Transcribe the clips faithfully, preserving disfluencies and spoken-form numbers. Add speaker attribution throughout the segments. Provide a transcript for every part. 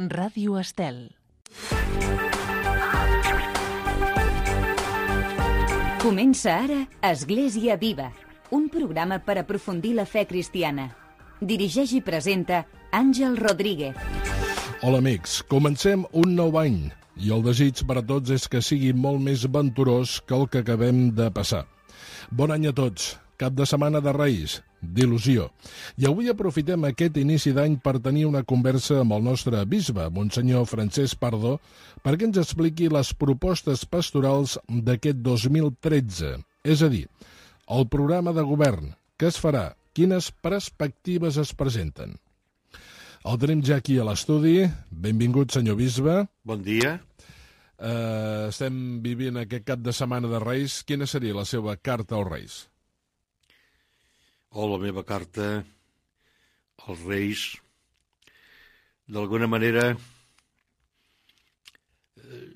Speaker 1: Ràdio Estel.
Speaker 2: Comença ara Església Viva, un programa per aprofundir la fe cristiana. Dirigeix i presenta Àngel Rodríguez.
Speaker 3: Hola amics, comencem un nou any i el desig per a tots és que sigui molt més venturós que el que acabem de passar. Bon any a tots, cap de setmana de Reis, d'il·lusió. I avui aprofitem aquest inici d'any per tenir una conversa amb el nostre bisbe, Monsenyor Francesc Pardo, perquè ens expliqui les propostes pastorals d'aquest dos mil tretze, és a dir, el programa de govern, què es farà, quines perspectives es presenten. El tenim ja aquí a l'estudi. Benvingut, senyor bisbe.
Speaker 4: Bon dia.
Speaker 3: Uh, estem vivint aquest cap de setmana de Reis. Quina seria la seva carta als Reis?
Speaker 4: O la meva carta als Reis, d'alguna manera,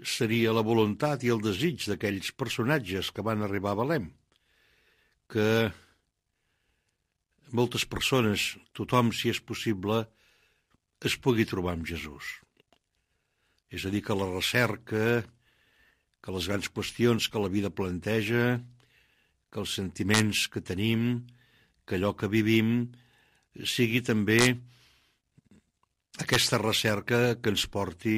Speaker 4: seria la voluntat i el desig d'aquells personatges que van arribar a Belém, que moltes persones, tothom, si és possible, es pugui trobar amb Jesús. És a dir, que la recerca, que les grans qüestions que la vida planteja, que els sentiments que tenim, que allò que vivim sigui també aquesta recerca que ens porti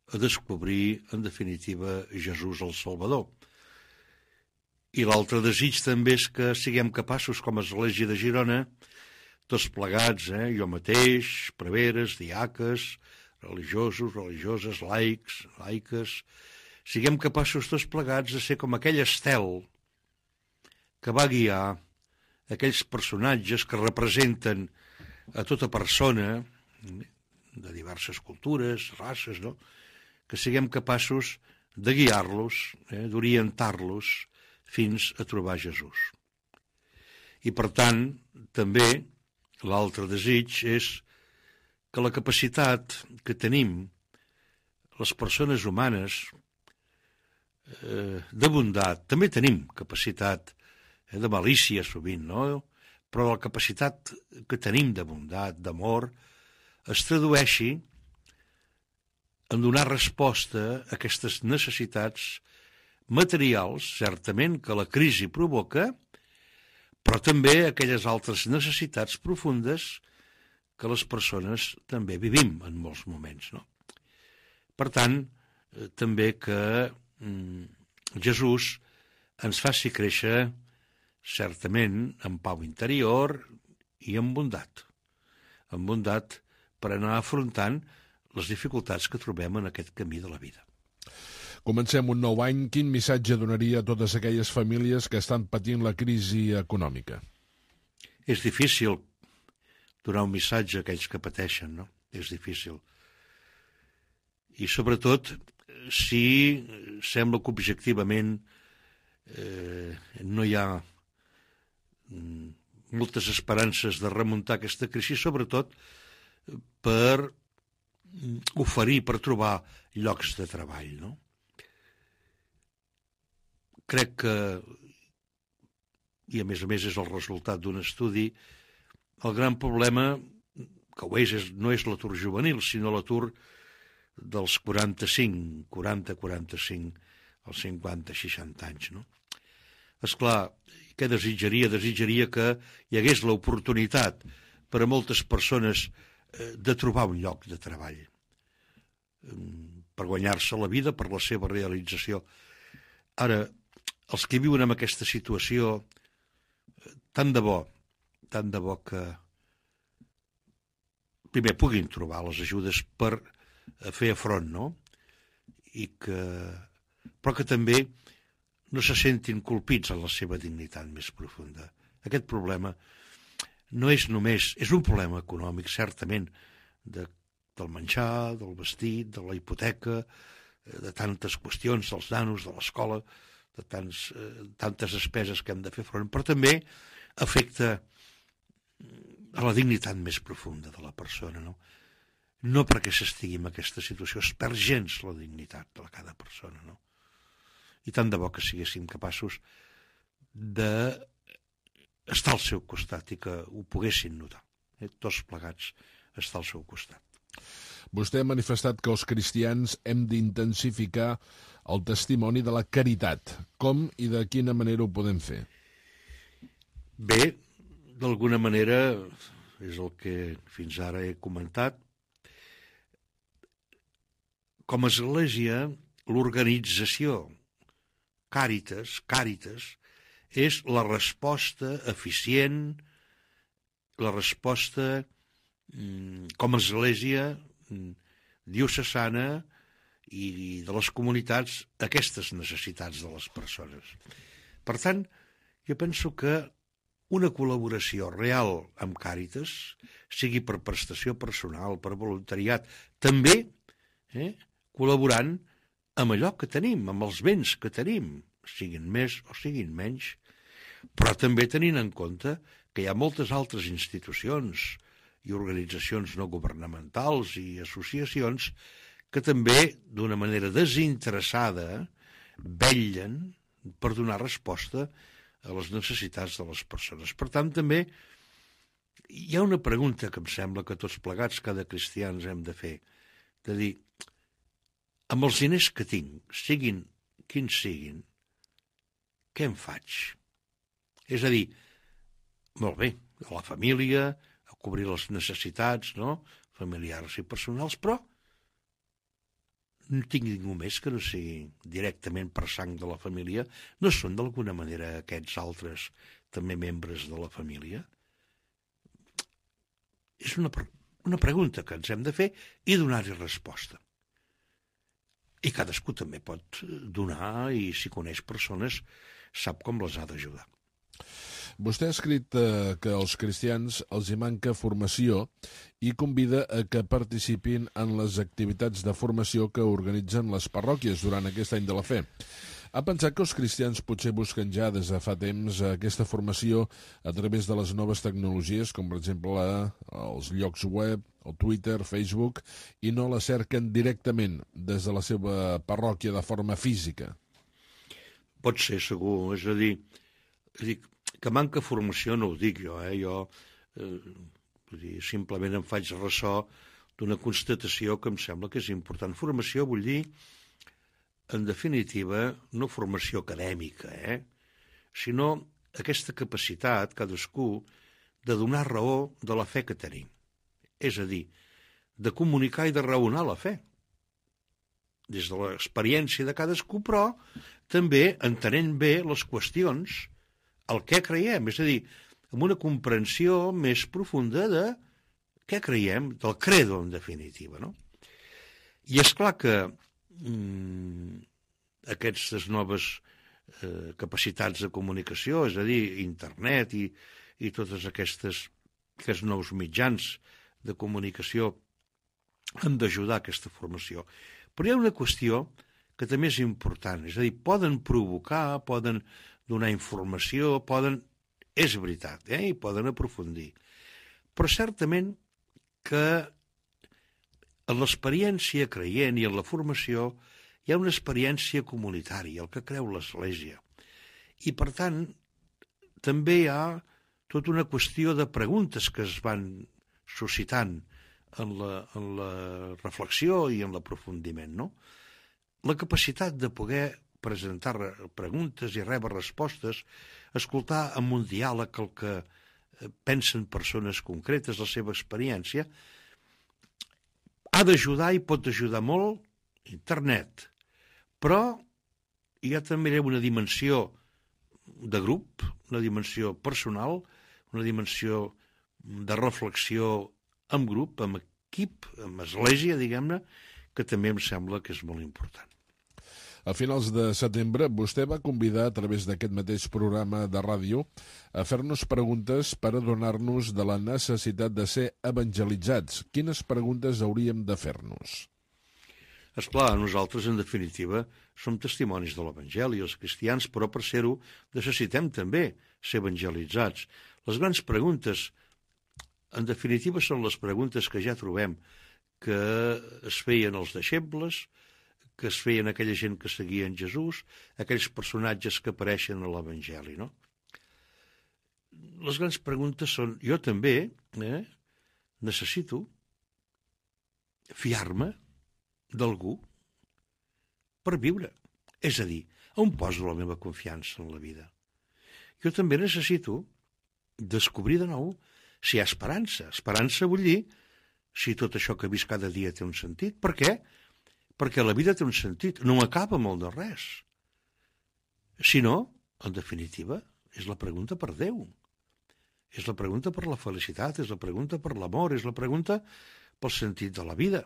Speaker 4: a descobrir, en definitiva, Jesús el Salvador. I l'altre desig també és que siguem capaços, com a Església de Girona, tots plegats, eh, jo mateix, preveres, diaques, religiosos, religioses, laics, laiques, siguem capaços tots plegats de ser com aquell estel que va guiar aquells personatges que representen a tota persona de diverses cultures, races, no? Que siguem capaços de guiar-los, eh, d'orientar-los fins a trobar Jesús. I per tant, també, l'altre desig és que la capacitat que tenim, les persones humanes, eh, de bondat, també tenim capacitat de malícia sovint, no? Però la capacitat que tenim de bondat, d'amor, es tradueixi en donar resposta a aquestes necessitats materials, certament, que la crisi provoca, però també aquelles altres necessitats profundes que les persones també vivim en molts moments, no? Per tant, eh, també que mm, Jesús ens faci créixer certament en pau interior i en bondat. En bondat per anar afrontant les dificultats que trobem en aquest camí de la vida.
Speaker 3: Comencem un nou any. Quin missatge donaria a totes aquelles famílies que estan patint la crisi econòmica?
Speaker 4: És difícil donar un missatge a aquells que pateixen, no? És difícil. I sobretot si sembla que objectivament eh, no hi ha moltes esperances de remuntar aquesta crisi, sobretot per oferir, per trobar llocs de treball, no? Crec que, i a més a més és el resultat d'un estudi, el gran problema, que ho és, és no és l'atur juvenil, sinó l'atur dels quaranta-cinc, quaranta a quaranta-cinc, als cinquanta a seixanta anys, no? Esclar, què desitjaria? Desitjaria que hi hagués l'oportunitat per a moltes persones de trobar un lloc de treball, per guanyar-se la vida, per la seva realització. Ara, els que viuen en aquesta situació, tant de bo, tant de bo que primer puguin trobar les ajudes per fer front, no? I que, però que també no se sentin colpits en la seva dignitat més profunda. Aquest problema no és només... És un problema econòmic, certament, de, del menjar, del vestit, de la hipoteca, de tantes qüestions, dels nanos, de l'escola, de tants, eh, tantes despeses que hem de fer front, però també afecta a la dignitat més profunda de la persona, no? No perquè s'estigui en aquesta situació, es perd gens la dignitat de cada persona, no? I tant de bo que siguéssim capaços d'estar al seu costat i que ho poguessin notar. Eh? Tots plegats estar al seu costat.
Speaker 3: Vostè ha manifestat que els cristians hem d'intensificar el testimoni de la caritat. Com i de quina manera ho podem fer?
Speaker 4: Bé, d'alguna manera, és el que fins ara he comentat, com a església, l'organització Càritas, Càritas, és la resposta eficient, la resposta com a església diocesana i de les comunitats a aquestes necessitats de les persones. Per tant, jo penso que una col·laboració real amb Càritas, sigui per prestació personal, per voluntariat, també eh, col·laborant amb allò que tenim, amb els béns que tenim, siguin més o siguin menys, però també tenint en compte que hi ha moltes altres institucions i organitzacions no governamentals i associacions que també, d'una manera desinteressada, vetllen per donar resposta a les necessitats de les persones. Per tant, també hi ha una pregunta que em sembla que tots plegats, cada cristià, ens hem de fer, de dir, amb els diners que tinc, siguin quins siguin, què en faig? És a dir, molt bé, a la família, a cobrir les necessitats, no?, familiars i personals, però no tinc ningú més que no sigui directament per sang de la família. No són d'alguna manera aquests altres també membres de la família? És una, una pregunta que ens hem de fer i donar-hi resposta. I cadascú també pot donar i si coneix persones sap com les ha d'ajudar.
Speaker 3: Vostè ha escrit eh, que als cristians els hi manca formació i convida a que participin en les activitats de formació que organitzen les parròquies durant aquest any de la fe. Ha pensat que els cristians potser busquen ja des de fa temps aquesta formació a través de les noves tecnologies, com per exemple els llocs web, el Twitter, Facebook, i no la cerquen directament des de la seva parròquia de forma física?
Speaker 4: Pot ser, segur. És a dir, dic, que manca formació no ho dic jo, eh? Jo eh, vull dir, simplement em faig ressò d'una constatació que em sembla que és important. Formació vull dir, en definitiva, no formació acadèmica, eh? Sinó aquesta capacitat, cadascú, de donar raó de la fe que tenim. És a dir, de comunicar i de raonar la fe. Des de l'experiència de cadascú, però també entenent bé les qüestions, el què creiem, és a dir, amb una comprensió més profunda de què creiem, del credo, en definitiva, no? I és clar que mm, aquestes noves eh, capacitats de comunicació, és a dir, internet i, i totes aquestes, aquests nous mitjans de comunicació han d'ajudar a aquesta formació. Però hi ha una qüestió que també és important, és a dir, poden provocar, poden donar informació, poden... És veritat, eh? I poden aprofundir. Però certament que en l'experiència creient i en la formació hi ha una experiència comunitària, el que creu l'Església. I, per tant, també hi ha tota una qüestió de preguntes que es van suscitant en la, en la reflexió i en l'aprofundiment, no? La capacitat de poder presentar preguntes i rebre respostes, escoltar amb un diàleg el que pensen persones concretes, la seva experiència, ha d'ajudar i pot ajudar molt internet. Però hi ha també una dimensió de grup, una dimensió personal, una dimensió de reflexió en grup, en equip, en església, diguem-ne, que també em sembla que és molt important.
Speaker 3: A finals de setembre, vostè va convidar a través d'aquest mateix programa de ràdio a fer-nos preguntes per adonar-nos de la necessitat de ser evangelitzats. Quines preguntes hauríem de fer-nos?
Speaker 4: Esclar, nosaltres, en definitiva, som testimonis de l'Evangeli, els cristians, però per ser-ho necessitem també ser evangelitzats. Les grans preguntes, en definitiva, són les preguntes que ja trobem que es feien els deixebles, que es feien aquella gent que seguia en Jesús, aquells personatges que apareixen a l'Evangeli, no? Les grans preguntes són, jo també eh, necessito fiar-me d'algú per viure. És a dir, on poso la meva confiança en la vida? Jo també necessito descobrir de nou si hi ha esperança. Esperança vull dir si tot això que visc cada dia té un sentit. Per què? Perquè la vida té un sentit, no acaba molt de res. Si no, en definitiva, és la pregunta per Déu. És la pregunta per la felicitat, és la pregunta per l'amor, és la pregunta pel sentit de la vida.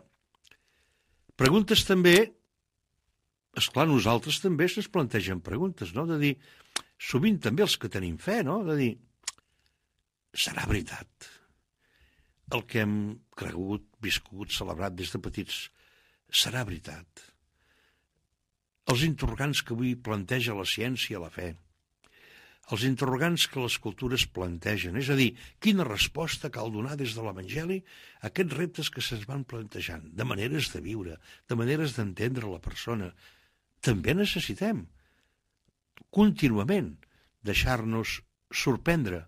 Speaker 4: Preguntes també, esclar, nosaltres també se'ns plantegen preguntes, no? De dir, sovint també els que tenim fe, no? De dir, serà veritat el que hem cregut, viscut, celebrat des de petits, serà veritat? Els interrogants que avui planteja la ciència, la fe, els interrogants que les cultures plantegen, és a dir, quina resposta cal donar des de l'Evangeli a aquests reptes que se'ns van plantejant, de maneres de viure, de maneres d'entendre la persona. També necessitem contínuament deixar-nos sorprendre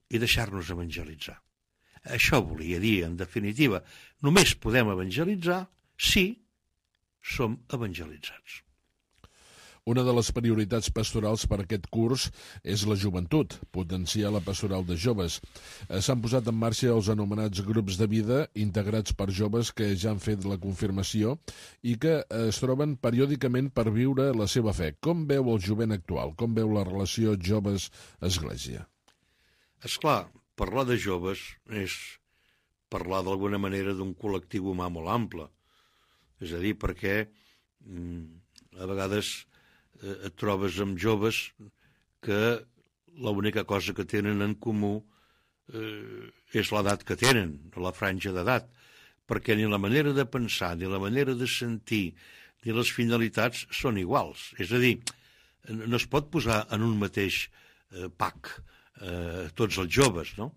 Speaker 4: i deixar-nos evangelitzar. Això volia dir, en definitiva, només podem evangelitzar si som evangelitzats.
Speaker 3: Una de les prioritats pastorals per aquest curs és la joventut, potenciar la pastoral de joves. S'han posat en marxa els anomenats grups de vida integrats per joves que ja han fet la confirmació i que es troben periòdicament per viure la seva fe. Com veu el jovent actual? Com veu la relació joves-església?
Speaker 4: Esclar, parlar de joves és parlar d'alguna manera d'un col·lectiu humà molt ample. És a dir, perquè mm, a vegades et trobes amb joves que l'única cosa que tenen en comú eh, és l'edat que tenen, la franja d'edat, perquè ni la manera de pensar, ni la manera de sentir, ni les finalitats són iguals. És a dir, no es pot posar en un mateix eh, pack eh, tots els joves, no?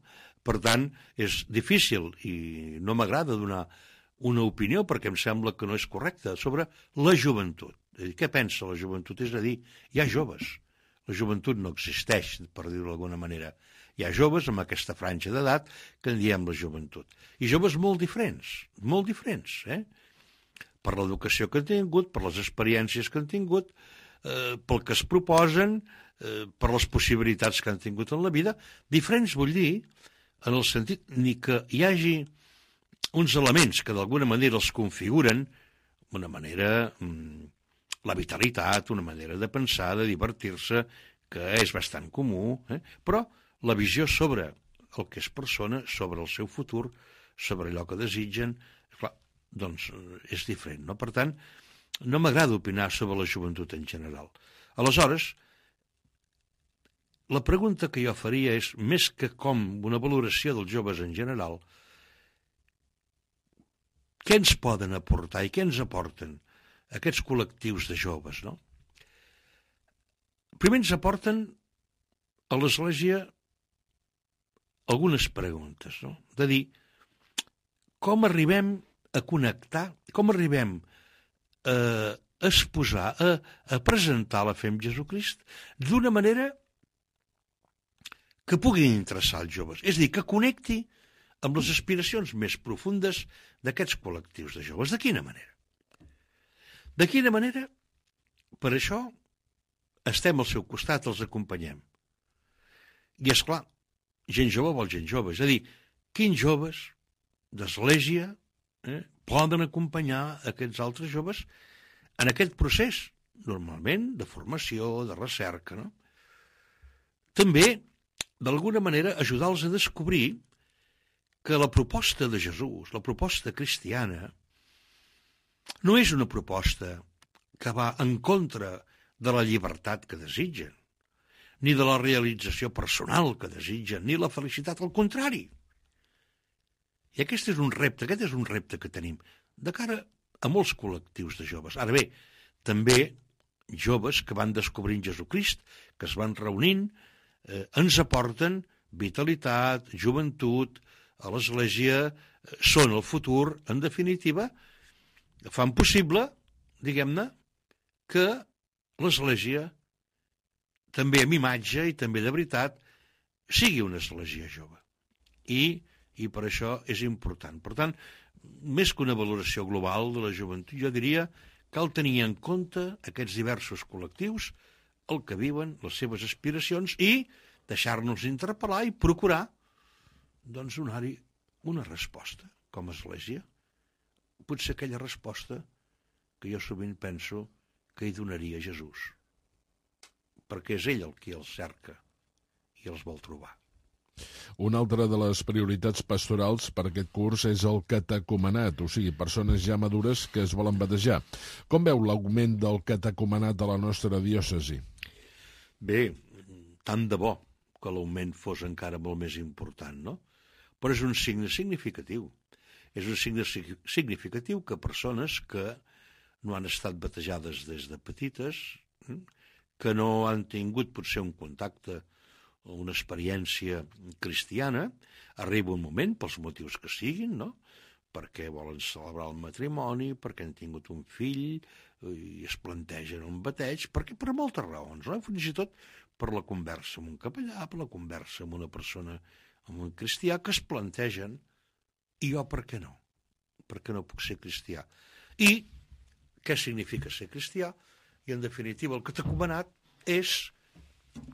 Speaker 4: Per tant, és difícil i no m'agrada donar una opinió perquè em sembla que no és correcta sobre la joventut. Què pensa la joventut? És a dir, hi ha joves. La joventut no existeix, per dir-ho d'alguna manera. Hi ha joves amb aquesta franja d'edat que en diem la joventut. I joves molt diferents, molt diferents, eh? Per l'educació que han tingut, per les experiències que han tingut, eh, pel que es proposen, eh, per les possibilitats que han tingut en la vida. Diferents vull dir, en el sentit ni que hi hagi uns elements que d'alguna manera els configuren, una manera... Mm, la vitalitat, una manera de pensar, de divertir-se, que és bastant comú, eh? Però la visió sobre el que és persona, sobre el seu futur, sobre allò que desitgen, clar, doncs és diferent, no? Per tant, no m'agrada opinar sobre la joventut en general. Aleshores, la pregunta que jo faria és, més que com una valoració dels joves en general, què ens poden aportar i què ens aporten aquests col·lectius de joves, no? Primer ens aporten a l'Església algunes preguntes, no? De dir, com arribem a connectar, com arribem a exposar, a, a presentar la fe en Jesucrist d'una manera que pugui interessar els joves. És a dir, que connecti amb les aspiracions més profundes d'aquests col·lectius de joves. De quina manera? De quina manera? Per això estem al seu costat, els acompanyem. I, esclar, gent jove vol gent jove. És a dir, quins joves d'església eh, poden acompanyar aquests altres joves en aquest procés, normalment, de formació, de recerca, no? També, d'alguna manera, ajudar-los a descobrir que la proposta de Jesús, la proposta cristiana, no és una proposta que va en contra de la llibertat que desitgen, ni de la realització personal que desitgen, ni la felicitat, al contrari. I aquest és un repte, aquest és un repte que tenim de cara a molts col·lectius de joves. Ara bé, també joves que van descobrint Jesucrist, que es van reunint, eh, ens aporten vitalitat, joventut, a l'Església, eh, són el futur, en definitiva, fan possible, diguem-ne, que l'Església, també amb imatge i també de veritat, sigui una església jove. I, i per això és important. Per tant, més que una valoració global de la joventut, jo diria cal tenir en compte aquests diversos col·lectius, el que viuen, les seves aspiracions, i deixar-nos interpel·lar i procurar doncs, donar-hi una resposta com a Església. Potser aquella resposta que jo sovint penso que hi donaria Jesús, perquè és ell el qui els cerca i els vol trobar.
Speaker 3: Una altra de les prioritats pastorals per aquest curs és el catecumenat, o sigui, persones ja madures que es volen batejar. Com veu l'augment del catecumenat a la nostra diòcesi?
Speaker 4: Bé, tant de bo que l'augment fos encara molt més important, no? Però és un signe significatiu. És un signe significatiu que persones que no han estat batejades des de petites, que no han tingut potser un contacte o una experiència cristiana, arriba un moment, pels motius que siguin, no? Perquè volen celebrar el matrimoni, perquè han tingut un fill i es plantegen un bateig, perquè per moltes raons, no? Fins i tot per la conversa amb un capellà, per la conversa amb una persona, amb un cristià, que es plantegen, i jo per què no? Per què no puc ser cristià? I què significa ser cristià? I en definitiva el catecumenat és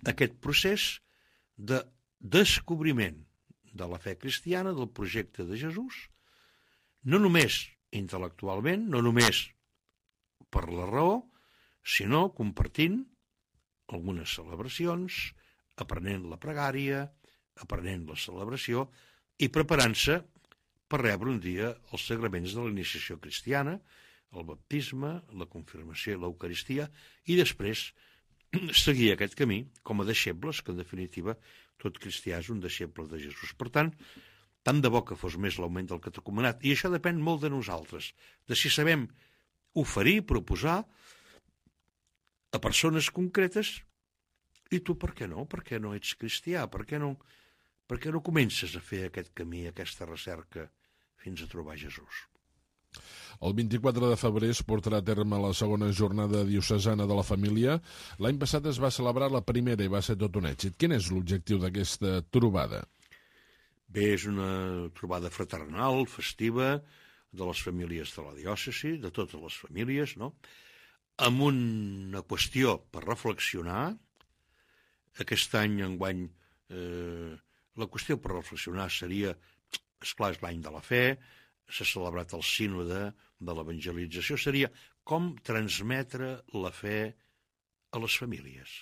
Speaker 4: aquest procés de descobriment de la fe cristiana, del projecte de Jesús, no només intel·lectualment, no només per la raó, sinó compartint algunes celebracions, aprenent la pregària, aprenent la celebració i preparant-se per rebre un dia els sagraments de la iniciació cristiana, el baptisme, la confirmació i l'Eucaristia, i després seguir aquest camí com a deixebles, que en definitiva tot cristià és un deixeble de Jesús. Per tant, tant de bo que fos més l'augment del catecumenat, i això depèn molt de nosaltres, de si sabem oferir, proposar a persones concretes, i tu per què no? Per què no ets cristià? Per què no, per què no comences a fer aquest camí, aquesta recerca, fins a trobar Jesús?
Speaker 3: El vint-i-quatre de febrer es portarà a terme la segona jornada diocesana de la família. L'any passat es va celebrar la primera i va ser tot un èxit. Quin és l'objectiu d'aquesta trobada?
Speaker 4: Bé, és una trobada fraternal, festiva, de les famílies de la diòcesi, de totes les famílies, no? Amb una qüestió per reflexionar. Aquest any, enguany, eh, la qüestió per reflexionar seria, esclar, és l'any de la fe, s'ha celebrat el sínode de l'evangelització, seria com transmetre la fe a les famílies.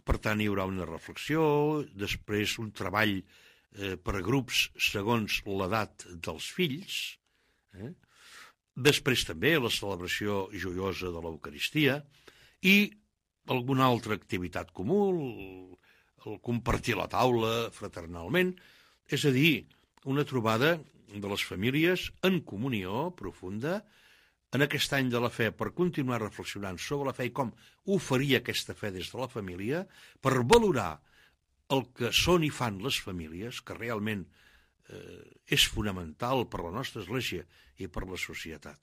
Speaker 4: Per tant, hi haurà una reflexió, després un treball eh, per grups segons l'edat dels fills, eh? Després també la celebració joiosa de l'Eucaristia i alguna altra activitat comú, el, el compartir la taula fraternalment, és a dir, una trobada de les famílies en comunió profunda en aquest any de la fe, per continuar reflexionant sobre la fe i com oferir aquesta fe des de la família, per valorar el que són i fan les famílies, que realment eh, és fonamental per la nostra Església i per la societat.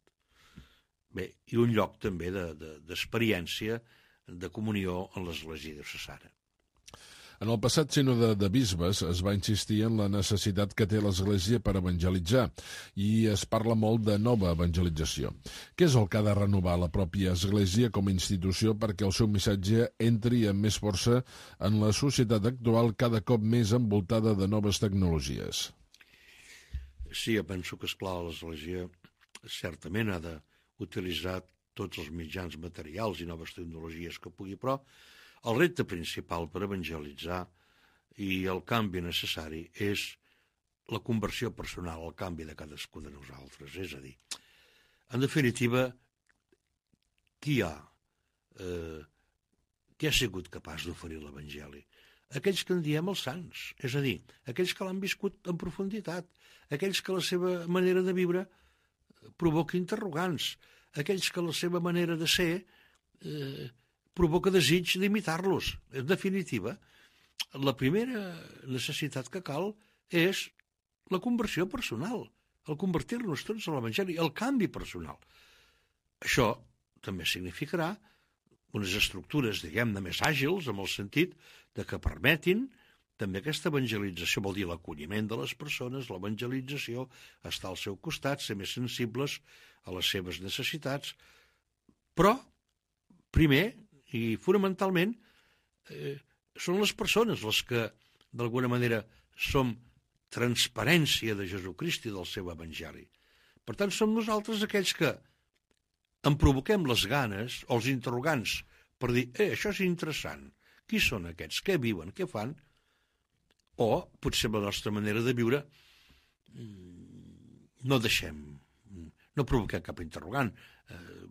Speaker 4: Bé, i un lloc també de, de, d'experiència, de comunió en l'Església diocesana.
Speaker 3: En el passat sínode de bisbes es va insistir en la necessitat que té l'Església per evangelitzar i es parla molt de nova evangelització. Què és el que ha de renovar la pròpia Església com a institució perquè el seu missatge entri amb més força en la societat actual cada cop més envoltada de noves tecnologies?
Speaker 4: Sí, jo penso que, esclar, l'Església certament ha d'utilitzar tots els mitjans materials i noves tecnologies que pugui, però el repte principal per evangelitzar i el canvi necessari és la conversió personal, el canvi de cadascú de nosaltres. És a dir, en definitiva, qui ha, eh, qui ha sigut capaç d'oferir l'Evangeli? Aquells que en diem els sants, és a dir, aquells que l'han viscut en profunditat, aquells que la seva manera de viure provoca interrogants, aquells que la seva manera de ser eh, provoca desig d'imitar-los. En definitiva, la primera necessitat que cal és la conversió personal, el convertir-nos tots a l'Evangeli, el canvi personal. Això també significarà unes estructures, diguem-ne, més àgils, en el sentit de que permetin també aquesta evangelització vol dir l'acolliment de les persones, l'evangelització, estar al seu costat, ser més sensibles a les seves necessitats, però, primer i fonamentalment, eh, són les persones les que, d'alguna manera, som transparència de Jesucrist i del seu evangeli. Per tant, som nosaltres aquells que en provoquem les ganes o els interrogants per dir, eh, això és interessant, qui són aquests, què viuen, què fan? O, potser la nostra manera de viure, no deixem, no provoquem cap interrogant, eh,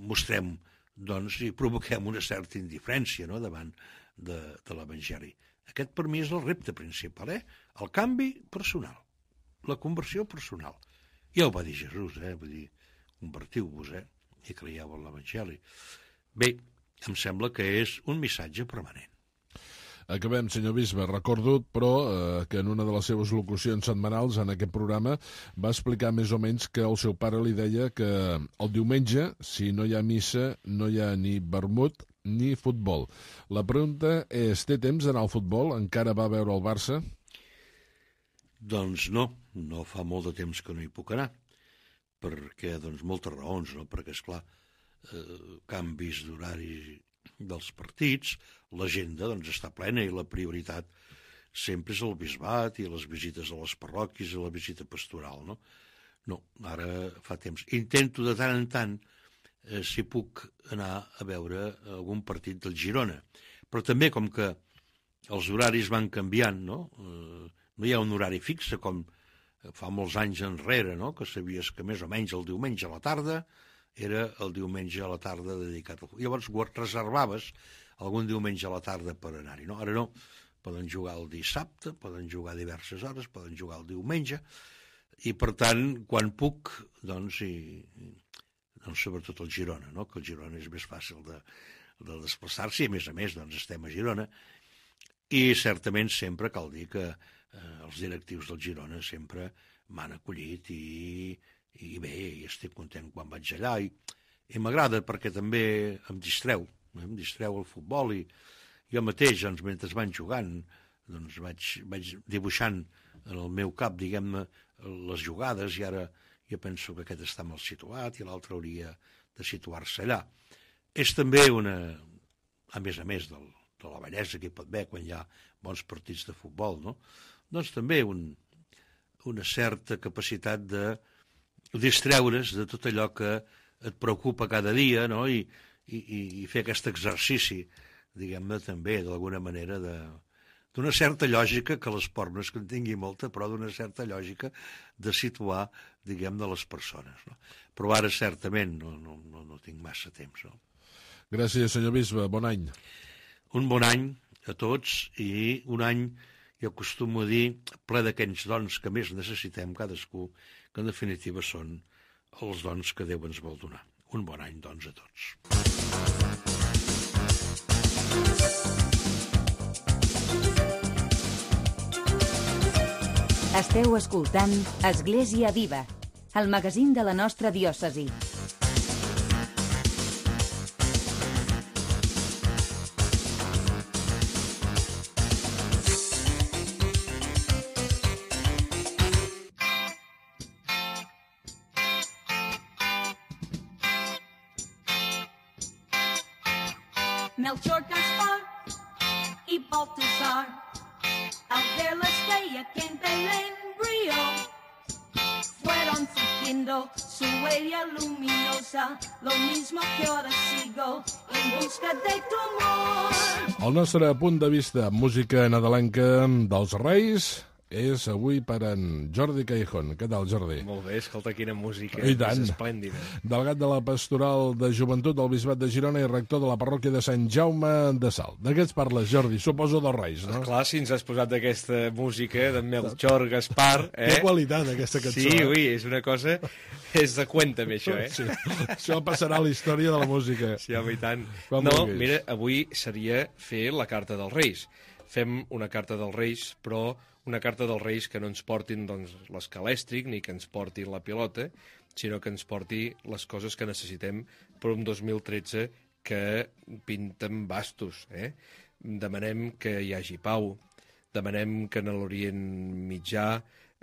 Speaker 4: mostrem, doncs, i provoquem una certa indiferència, no?, davant de, de l'Evangeli. Aquest, per mi, és el repte principal, eh? El canvi personal, la conversió personal. Ja ho va dir Jesús, eh? Vull dir, convertiu-vos, eh? I creieu en l'Evangeli. Bé, em sembla que és un missatge permanent.
Speaker 3: Acabem, senyor bisbe. Recordo, però, eh, que en una de les seves locucions setmanals en aquest programa va explicar més o menys que el seu pare li deia que el diumenge, si no hi ha missa, no hi ha ni vermut ni futbol. La pregunta és, té temps d'anar al futbol? Encara va veure el Barça?
Speaker 4: Doncs no, no fa molt de temps que no hi puc anar, perquè, doncs, moltes raons, no? Perquè, esclar, eh, canvis d'horari dels partits, l'agenda doncs està plena i la prioritat sempre és el bisbat i les visites a les parròquies i la visita pastoral, no? No, ara fa temps. Intento de tant en tant eh, si puc anar a veure algun partit del Girona, però també com que els horaris van canviant, no? Eh, no hi ha un horari fixe com fa molts anys enrere, no? Que sabies que més o menys el diumenge a la tarda era el diumenge a la tarda dedicat al futbol. Llavors reservaves algun diumenge a la tarda per anar-hi. No? Ara no, poden jugar el dissabte, poden jugar diverses hores, poden jugar el diumenge, i per tant, quan puc, doncs, i, doncs sobretot el Girona, no? Que el Girona és més fàcil de, de desplaçar-se, i a més a més doncs, estem a Girona, i certament sempre cal dir que eh, els directius del Girona sempre m'han acollit i i bé, i estic content quan vaig allà i, i m'agrada perquè també em distreu, em distreu el futbol i jo mateix, doncs, mentre van jugant, doncs vaig, vaig dibuixant en el meu cap, diguem-ne, les jugades i ara jo penso que aquest està mal situat i l'altre hauria de situar-se allà. És també una, a més a més del, de la bellesa que hi pot haver quan hi ha bons partits de futbol, no? Doncs també un, una certa capacitat de distreure's de tot allò que et preocupa cada dia, no? I, i, i fer aquest exercici, diguem-ne, també, d'alguna manera, de, d'una certa lògica, que l'esport no és que en tingui molta, però d'una certa lògica de situar, diguem-ne, les persones, no? Però ara, certament, no, no, no, no tinc massa temps, no?
Speaker 3: Gràcies, senyor bisbe. Bon any.
Speaker 4: Un bon any a tots i un any, jo acostumo a dir, ple d'aquells dons que més necessitem cadascú, que en definitiva són els dons que Déu ens vol donar. Un bon any, doncs, a tots.
Speaker 2: Esteu escoltant Església Viva, el magazín de la nostra diòcesi.
Speaker 1: Melchor, Gaspar y Baltasar, al ver la estrella que en Belén brilló, fueron siguiendo su huella luminosa, lo mismo que ahora sigo en busca de tu amor.
Speaker 3: El nostre punt de vista, música nadalenca dels Reis, és avui per en Jordi Callejón. Què tal, Jordi?
Speaker 5: Molt bé, escolta, quina música
Speaker 3: I tant.
Speaker 5: més esplèndida.
Speaker 3: Delegat de la Pastoral de Joventut del Bisbat de Girona i rector de la parròquia de Sant Jaume de Salt. De què ets parles, Jordi? Suposo dels Reis, no?
Speaker 5: Clar, si ens has posat aquesta música de Melchor, Gaspar... Eh?
Speaker 3: Té qualitat, aquesta cançó.
Speaker 5: Sí, ui, és una cosa... És de cuéntame, això, eh?
Speaker 3: Sí. Això passarà a la història de la música.
Speaker 5: Sí, home, i tant.
Speaker 3: Quan
Speaker 5: no,
Speaker 3: vulguis.
Speaker 5: mira, avui seria fer la carta dels Reis. Fem una carta dels Reis, però una carta dels Reis que no ens portin doncs, l'escalèstric ni que ens porti la pilota, sinó que ens porti les coses que necessitem per un dos mil tretze que pinten bastos. Eh? Demanem que hi hagi pau, Demanem que en l'Orient Mitjà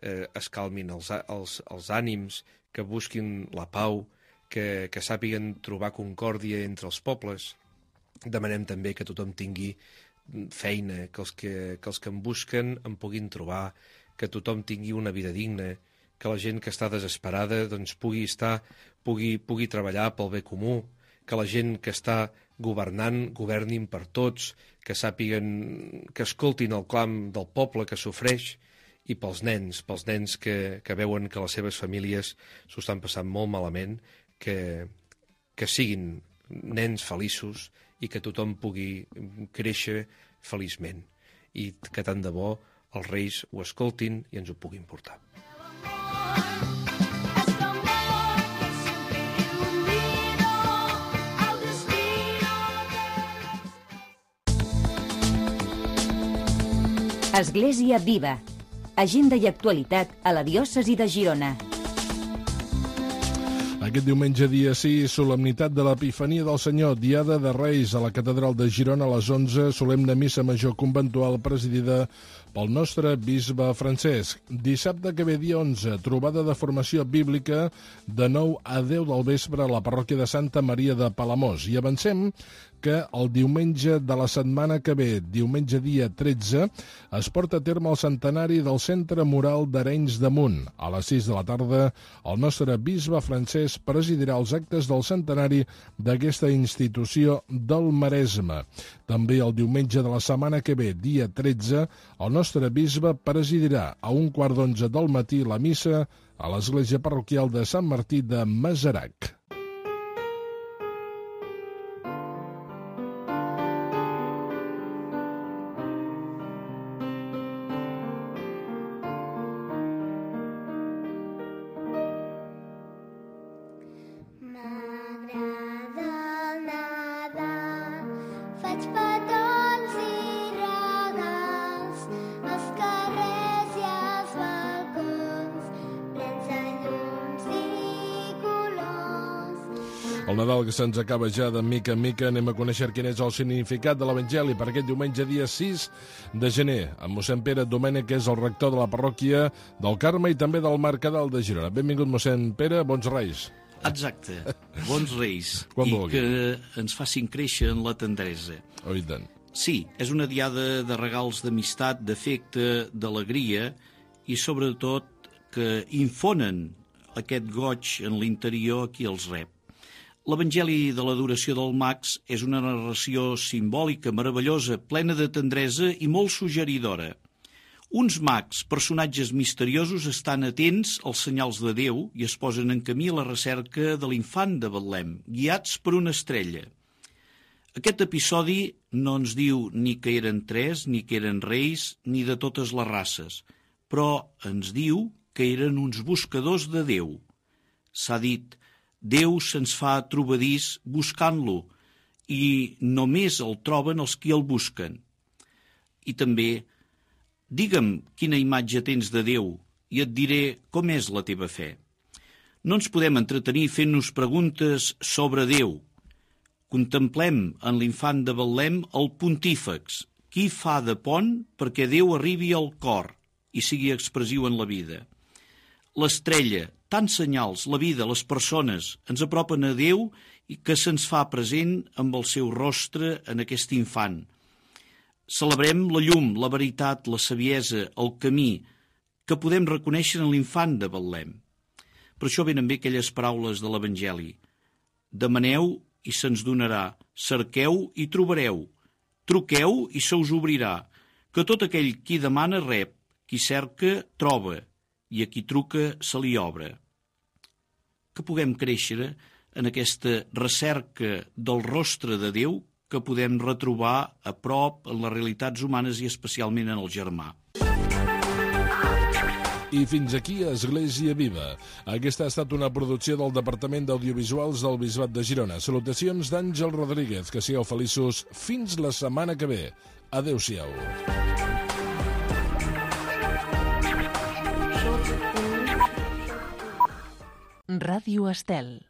Speaker 5: eh, es calmin els, els, els ànims, que busquin la pau, que, que sàpiguen trobar concòrdia entre els pobles. Demanem també que tothom tingui feina, que els que, que els que en busquen en puguin trobar, que tothom tingui una vida digna, que la gent que està desesperada doncs, pugui estar, pugui, pugui treballar pel bé comú, que la gent que està governant governin per tots, que sàpiguen, que escoltin el clam del poble que sofreix, i pels nens, pels nens que, que veuen que les seves famílies s'ho estan passant molt malament, que, que siguin nens feliços i que tothom pugui créixer feliçment. I que tant de bo els reis ho escoltin i ens ho puguin portar.
Speaker 2: Església Viva. Agenda i actualitat a la diòcesi de Girona.
Speaker 3: Aquest diumenge, dia sis, solemnitat de l'Epifania del Senyor, Diada de Reis, a la Catedral de Girona a les onze, solemne missa major conventual presidida pel nostre bisbe Francesc. Dissabte que ve, dia onze, trobada de formació bíblica de nou a deu del vespre a la parròquia de Santa Maria de Palamós. I avancem que el diumenge de la setmana que ve, diumenge dia tretze, es porta a terme el centenari del Centre Moral d'Arenys de Munt. A les sis de la tarda, el nostre bisbe Francesc presidirà els actes del centenari d'aquesta institució del Maresme. També el diumenge de la setmana que ve, dia tretze, el nostre bisbe presidirà a un quart d'onze del matí la missa a l'església parroquial de Sant Martí de Masarac. El Nadal que se'ns acaba ja de mica en mica, anem a conèixer quin és el significat de l'Evangeli per aquest diumenge dia sis de gener, amb mossèn Pere Domènech, que és el rector de la parròquia del Carme i també del Mercadal de Girona. Benvingut, mossèn Pere, bons reis.
Speaker 6: Exacte, bons reis,
Speaker 3: Quan
Speaker 6: i
Speaker 3: vulgui.
Speaker 6: que ens facin créixer en la tendresa.
Speaker 3: Oh, i tant.
Speaker 6: Sí, és una diada de regals d'amistat, d'afecte, d'alegria i sobretot que infonen aquest goig en l'interior qui els rep. L'Evangeli de l'adoració del Mags és una narració simbòlica, meravellosa, plena de tendresa i molt suggeridora. Uns mags, personatges misteriosos, estan atents als senyals de Déu i es posen en camí a la recerca de l'infant de Betlem, guiats per una estrella. Aquest episodi no ens diu ni que eren tres, ni que eren reis, ni de totes les races, però ens diu que eren uns buscadors de Déu. S'ha dit, Déu se'ns fa trobadís buscant-lo i només el troben els qui el busquen. I també, digue'm quina imatge tens de Déu i et diré com és la teva fe. No ens podem entretenir fent-nos preguntes sobre Déu. Contemplem en l'infant de Betlem el pontífex, qui fa de pont perquè Déu arribi al cor i sigui expressiu en la vida. L'estrella, tants senyals, la vida, les persones, ens apropen a Déu i que se'ns fa present amb el seu rostre en aquest infant. Celebrem la llum, la veritat, la saviesa, el camí que podem reconèixer en l'infant de Betlem. Per això venen bé aquelles paraules de l'Evangeli. Demaneu i se'ns donarà, cerqueu i trobareu, truqueu i se us obrirà, que tot aquell qui demana rep, qui cerca troba, i a qui truca se li obre. Que puguem créixer en aquesta recerca del rostre de Déu que podem retrobar a prop en les realitats humanes i especialment en el germà.
Speaker 3: I fins aquí Església Viva. Aquesta ha estat una producció del Departament d'Audiovisuals del Bisbat de Girona. Salutacions d'Àngel Rodríguez. Que sigueu feliços fins la setmana que ve. Adéu-siau.
Speaker 7: Ràdio Estel.